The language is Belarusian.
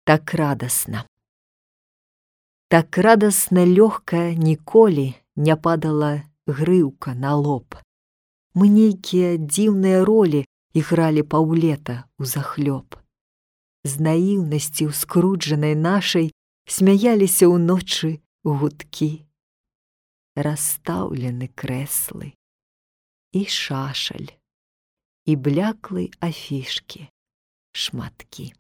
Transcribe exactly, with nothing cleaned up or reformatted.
так радасна. Так радасна лёгка ніколі не падала грыўка на лоб. Мы нейкія дзіўныя ролі ігралі паўлета ўзахлёб. З наіўнасці ўскруджанай нашай смяяліся ўночы гудкі. Расстаўлены крэслы і шашаль, і бляклай афішкі шматкі.